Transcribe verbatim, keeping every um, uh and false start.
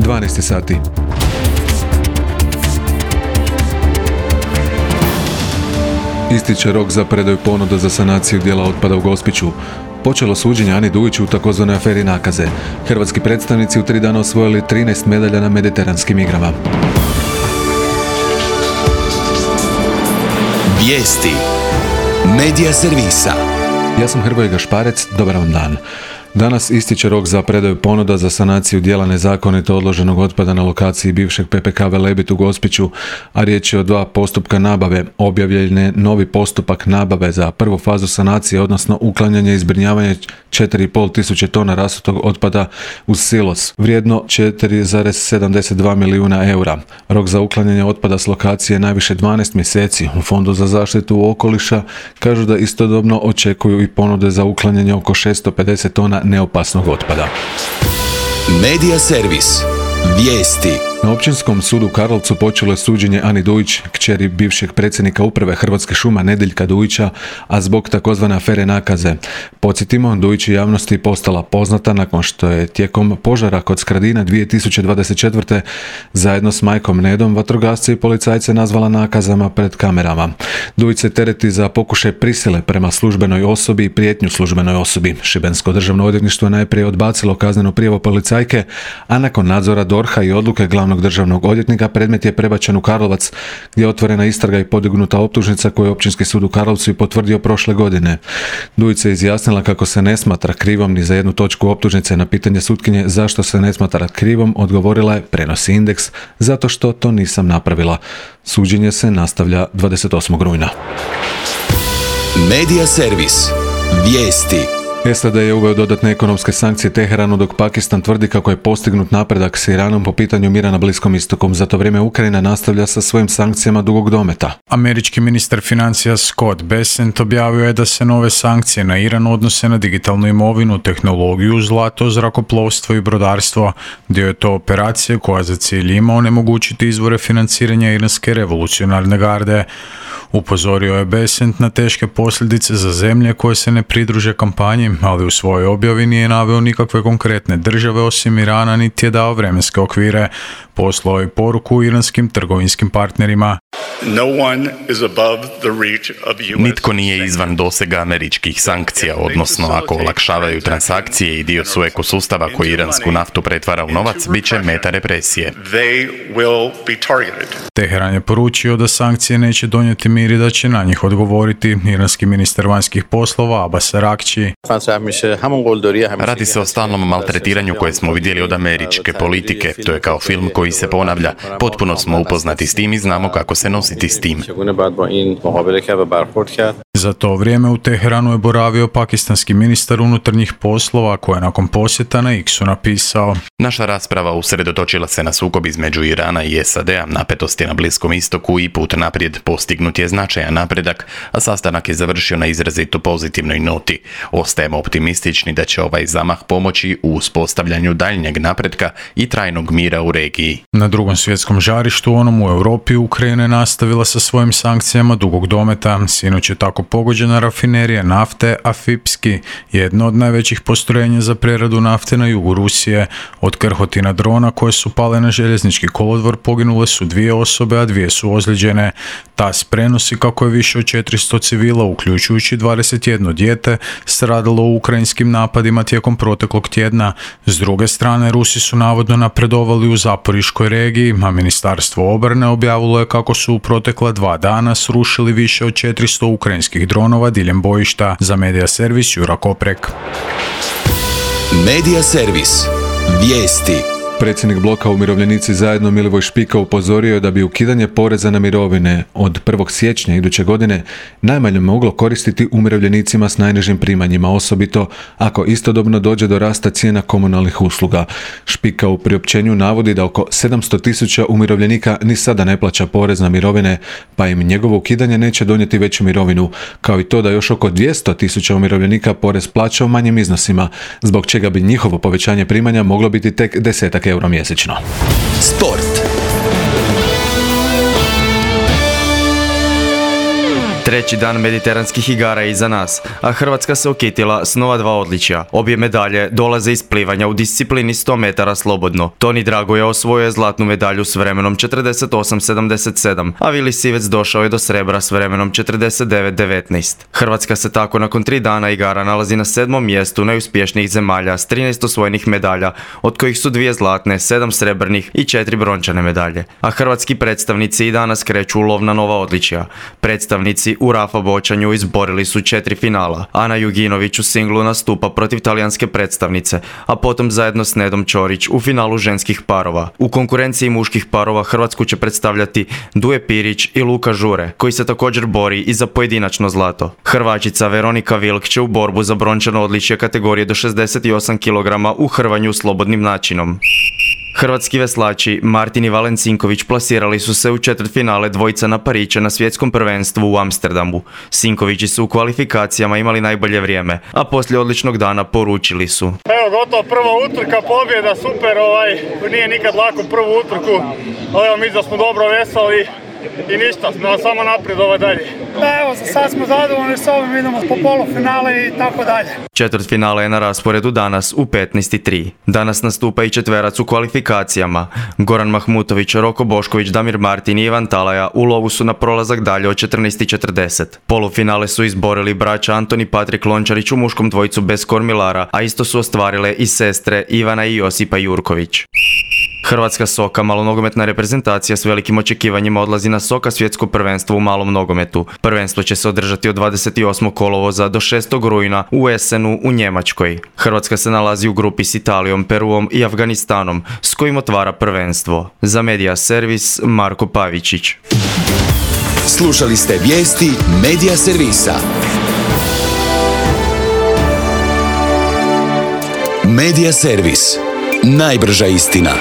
dvanaest sati. Ističe rok za predaju ponuda za sanaciju dijela otpada u Gospiću. Počelo suđenje Ani Dujiću u takozvanoj aferi nakaze. Hrvatski predstavnici u tri dana osvojili trinaest medalja na mediteranskim igrama. Vijesti Medija servisa. Ja sam Hrvoje Gašparec, dobar vam dan. Danas ističe rok za predaju ponuda za sanaciju dijela nezakonito odloženog otpada na lokaciji bivšeg P P K Velebit u Gospiću, a riječ je o dva postupka nabave. Objavljen je novi postupak nabave za prvu fazu sanacije, odnosno uklanjanje i zbrinjavanje četiri i pol tisuće tona rasutog otpada uz silos, vrijedno četiri zarez sedamdeset dva milijuna eura. Rok za uklanjanje otpada s lokacije je najviše dvanaest mjeseci. U Fondu za zaštitu okoliša kažu da istodobno očekuju i ponude za uklanjanje oko šesto pedeset tona neopasnog otpada. Medija servis. Vijesti. Na Općinskom sudu u Karlovcu počelo je suđenje Ani Dujić, kćeri bivšeg predsjednika uprave Hrvatskih šuma Nedeljka Dujića, a zbog takozvane afere nakaze. Podsjetimo, Dujić je javnosti postala poznata nakon što je tijekom požara kod Skradina dvije tisuće dvadeset četvrte zajedno s majkom Nedom vatrogasce i policajce nazvala nakazama pred kamerama. Dujić se tereti za pokušaj prisile prema službenoj osobi i prijetnju službenoj osobi. Šibensko državno odvjetništvo je najprije odbacilo kaznenu prijavu policajke, a nakon nadzora D O R H-a i odluke glavnog državnog odvjetnika predmet je prebačen u Karlovac, gdje je otvorena istraga i podignuta optužnica koju je Općinski sud u Karlovcu i potvrdio prošle godine. Dujić se izjasnila kako se ne smatra krivom ni za jednu točku optužnice. Na pitanje sutkinje zašto se ne smatra krivom odgovorila je, prenosi Indeks, zato što to nisam napravila. Suđenje se nastavlja dvadeset osmog rujna. Medija servis. Vijesti. S A D je uveo dodatne ekonomske sankcije Teheranu, dok Pakistan tvrdi kako je postignut napredak s Iranom po pitanju mira na Bliskom istoku. Za to vrijeme Ukrajina nastavlja sa svojim sankcijama dugog dometa. Američki ministar financija Scott Bessent objavio je da se nove sankcije na Iran odnose na digitalnu imovinu, tehnologiju, zlato, zrakoplovstvo i brodarstvo. Dio je to operacije koja za cilj ima onemogućiti izvore financiranja iranske revolucionarne garde. Upozorio je Bessent na teške posljedice za zemlje koje se ne pridruže kampanji, ali u svojoj objavi nije naveo nikakve konkretne države osim Irana, niti je dao vremenske okvire. Poslao je poruku iranskim trgovinskim partnerima. No one is above the reach of U S Nitko nije izvan dosega američkih sankcija, odnosno ako olakšavaju transakcije i dio su ekosustava koji iransku naftu pretvara u novac, bit će meta represije. Teheran je poručio da sankcije neće donijeti mir i da će na njih odgovoriti. Iranski ministar vanjskih poslova Abbas Araghchi. Radi se o stalnom maltretiranju koje smo vidjeli od američke politike. To je kao film koji se ponavlja. Potpuno smo upoznati s tim i znamo kako se nositi s tim. Za to vrijeme u Teheranu je boravio pakistanski ministar unutarnjih poslova koji je nakon posjeta na X-u napisao: Naša rasprava usredotočila se na sukob između Irana i S A D-a, napetosti na Bliskom istoku i put naprijed. Postignut je značajan napredak, a sastanak je završio na izrazito pozitivnoj noti. Ostajemo optimistični da će ovaj zamah pomoći u uspostavljanju daljnjeg napretka i trajnog mira u regiji. Na drugom svjetskom žarištu, onom u Europi, Ukrajina je nastavila sa svojim sankcijama dugog dometa. Sinoć je tako pogođena rafinerija nafte Afipski, jedno od najvećih postrojenja za preradu nafte na jugu Rusije. Od krhotina drona koje su pale na željeznički kolodvor poginule su dvije osobe, a dvije su ozlijeđene. T A S prenosi kako je više od četiristo civila, uključujući dvadeset jedno dijete, stradalo u ukrajinskim napadima tijekom proteklog tjedna. S druge strane, Rusi su navodno napredovali u Zaporiškoj regiji, a Ministarstvo obrane objavilo je kako su u protekla dva dana srušili više od četiristo ukrajinskih dronova diljem bojišta. Za Medija servis Jura Koprek. Medija servis. Vijesti. Predsjednik bloka Umirovljenici zajedno Milivoj Špika upozorio je da bi ukidanje poreza na mirovine od prvog siječnja iduće godine najmanje moglo koristiti umirovljenicima s najnižim primanjima, osobito ako istodobno dođe do rasta cijena komunalnih usluga. Špika u priopćenju navodi da oko sedamsto tisuća umirovljenika ni sada ne plaća porez na mirovine, pa im njegovo ukidanje neće donijeti veću mirovinu, kao i to da još oko dvjesto tisuća umirovljenika porez plaća u manjim iznosima, zbog čega bi njihovo povećanje primanja moglo biti tek desetak euro mjesečno. Sport. Treći dan mediteranskih igara je iza nas, a Hrvatska se okitila s nova dva odličja. Obje medalje dolaze iz plivanja u disciplini sto metara slobodno. Toni Dragoja osvojio je zlatnu medalju s vremenom četrdeset osam sedamdeset sedam, a Vili Sivec došao je do srebra s vremenom četrdeset devet devetnaest. Hrvatska se tako nakon tri dana igara nalazi na sedmom mjestu najuspješnijih zemalja s trinaest osvojenih medalja, od kojih su dvije zlatne, sedam srebrnih i četiri brončane medalje. A hrvatski predstavnici i danas kreću u lov na nova odličja. Predstavnici u Rafa Bočanju izborili su četiri finala. Ana Juginović u singlu nastupa protiv talijanske predstavnice, a potom zajedno s Nedom Ćorić u finalu ženskih parova. U konkurenciji muških parova Hrvatsku će predstavljati Duje Pirić i Luka Žure, koji se također bori i za pojedinačno zlato. Hrvačica Veronika Vilk će u borbu za brončano odličje kategorije do šezdeset osam kilograma u hrvanju slobodnim načinom. Hrvatski veslači Martin i Valen Sinković plasirali su se u četvrtfinale dvojica na pariće na svjetskom prvenstvu u Amsterdamu. Sinkovići su u kvalifikacijama imali najbolje vrijeme, a poslije odličnog dana poručili su: Evo, gotovo prva utrka, pobjeda, super, ovaj, nije nikad lako prvu utrku, ali evo, mi da smo dobro veslali i ništa, smo samo naprijed ovaj dalje. Da, evo, za sad smo zadovoljni s ovim, idemo po polufinale i tako dalje. Četvrtfinale je na rasporedu danas u petnaest i tri. Danas nastupa i četverac u kvalifikacijama. Goran Mahmutović, Roko Bošković, Damir Martin i Ivan Talaja u lovu su na prolazak dalje od četrnaest i četrdeset. Polufinale su izborili braća Antoni Patrik Lončarić u muškom dvojicu bez kormilara, a isto su ostvarile i sestre Ivana i Josipa Jurković. Hrvatska soka, malonogometna reprezentacija s velikim očekivanjima odlazi na Soka svjetsko prvenstvo u malom nogometu. Prvenstvo će se održati od dvadeset osmog kolovoza do šestog rujna u Essenu u Njemačkoj. Hrvatska se nalazi u grupi s Italijom, Peruom i Afganistanom, s kojim otvara prvenstvo. Za Media Servis, Marko Pavičić. Slušali ste vijesti Media Servisa. Media Servis. Najbrža istina.